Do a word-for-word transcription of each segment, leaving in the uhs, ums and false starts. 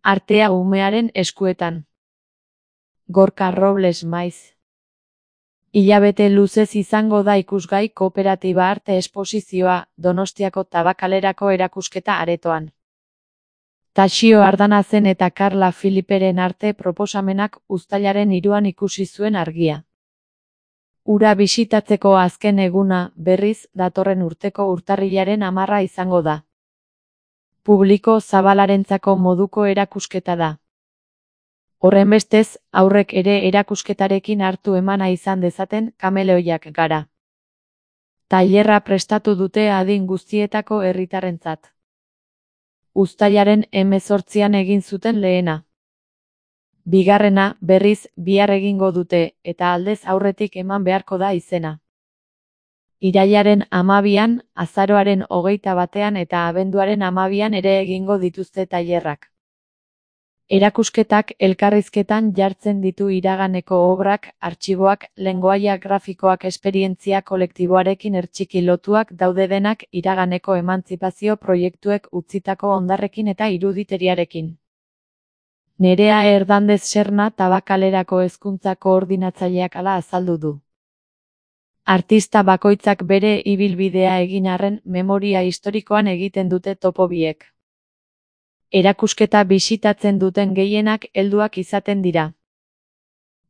Artea umearen eskuetan. Gorka Robles maiz. Hilabete luzez izango da ikusgai Kooperatiba Arte Esposizioa Donostiako Tabakalerako erakusketa aretoan. Taxio Ardanazen eta Karla Filiperen arte proposamenak uztailaren hiruan ikusi zuen argia. Hura bisitatzeko azken eguna, berriz, datorren urteko urtarrilaren hamarra izango da. Publiko zabalarentzako moduko erakusketa da. Horrenbestez, aurrek ere erakusketarekin hartu emana izan dezaten kameleoiak gara. Tailerra prestatu dute adin guztietako herritarrentzat. Uztailaren hemezortzian egin zuten lehena. Bigarrena, berriz, bihar egingo dute, eta aldez aurretik eman beharko da izena. Irailaren hamabian, azaroaren hogeita batean eta abenduaren hamabian ere egingo dituzte tailerrak. Erakusketak elkarrizketan jartzen ditu iraganeko obrak, artxiboak, lengoaia grafikoak esperientzia kolektiboarekin ertxiki lotuak daude denak iraganeko emantzipazio proiektuek utzitako hondarrekin eta iruditeriarekin. Nerea Hernandez Serna Tabakalerako hezkuntza koordinatzaileak hala azaldu du. Artista bakoitzak bere ibilbidea egin arren memoria historikoan egiten dute topo biek. Erakusketa bisitatzen duten gehienak helduak izaten dira.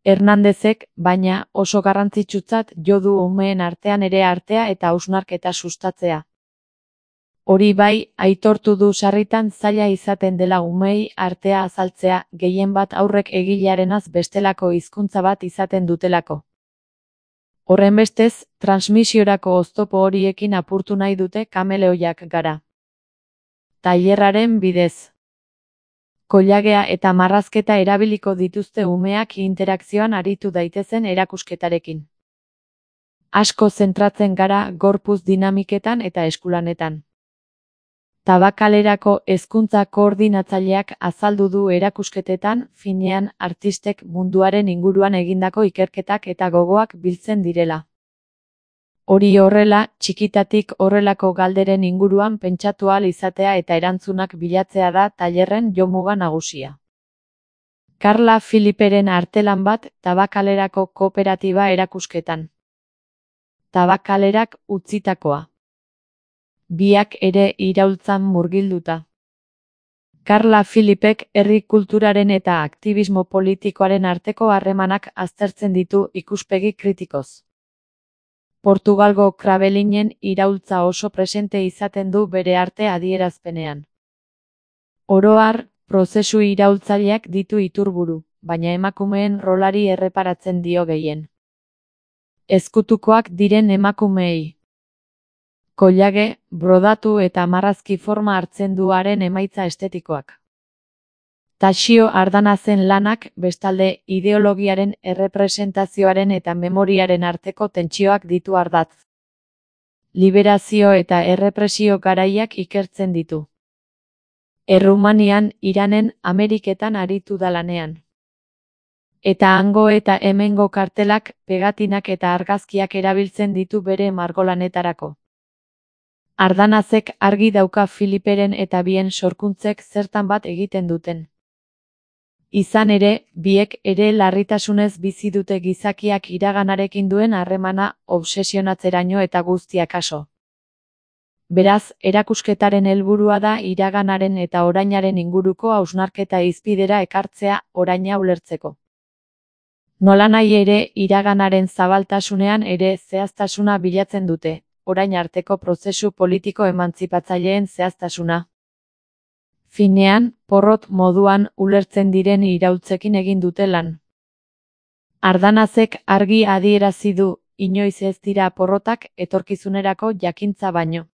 Hernandezek, baina, oso garrantzitsutzat jo du umeen artean ere artea eta hausnarketa sustatzea. Hori bai, aitortu du sarritan zaila izaten dela umeei artea azaltzea, gehien bat aurrek egilearenaz bestelako hizkuntza bat izaten dutelako. Horrenbestez, transmisiorako oztopo horiekin apurtu nahi dute kameleoiak gara. Tailerraren bidez. Koilagea eta marrazketa erabiliko dituzte umeak interakzioan aritu daitezen erakusketarekin. Asko zentratzen gara gorputz dinamiketan eta eskulanetan. Tabakalerako hezkuntza koordinatzaileak azaldu du erakusketetan, finean, artistek munduaren inguruan egindako ikerketak eta gogoak biltzen direla. Hori horrela, txikitatik horrelako galderen inguruan pentsatu ahal izatea eta erantzunak bilatzea da tailerren jomuga nagusia. Karla Filiperen artelan bat Tabakalerako kooperatiba erakusketan. Tabakalerak utzitakoa. Biak ere iraultzan murgilduta. Karla Filipek herri kulturaren eta aktibismo politikoaren arteko harremanak aztertzen ditu ikuspegi kritikoz. Portugalgo krabelinen iraultza oso presente izaten du bere arte adierazpenean. Oro har, prozesu iraultzaileak ditu iturburu, baina emakumeen rolari erreparatzen dio gehien. Ezkutukoak diren emakumeei. Koilage, brodatu eta marrazki forma hartzen du haren emaitza estetikoak. Taxio Ardanazen lanak, bestalde, ideologiaren errepresentazioaren eta memoriaren arteko tentsioak ditu ardatz. Liberazio eta errepresio garaiak ikertzen ditu. Errumanian, Iranen, Ameriketan aritu da lanean. Eta hango eta hemengo kartelak, pegatinak eta argazkiak erabiltzen ditu bere margolanetarako. Ardanazek argi dauka Filiperen eta bien sorkuntzek zertan bat egiten duten. Izan ere, biek ere larritasunez bizi dute gizakiak iraganarekin duen harremana obsesionatzeraino eta guztiak aso. Beraz, erakusketaren helburua da iraganaren eta orainaren inguruko hausnarketa hizpidera ekartzea oraina ulertzeko. Nolanahi ere, iraganaren zabaltasunean ere zehaztasuna bilatzen dute, orain arteko prozesu politiko emantzipatzaileen zehaztasuna. Finean, porrot moduan ulertzen diren iraultzekin egin dute lan. Ardanazek argi adierazi du, inoiz ez dira porrotak etorkizunerako jakintza baino.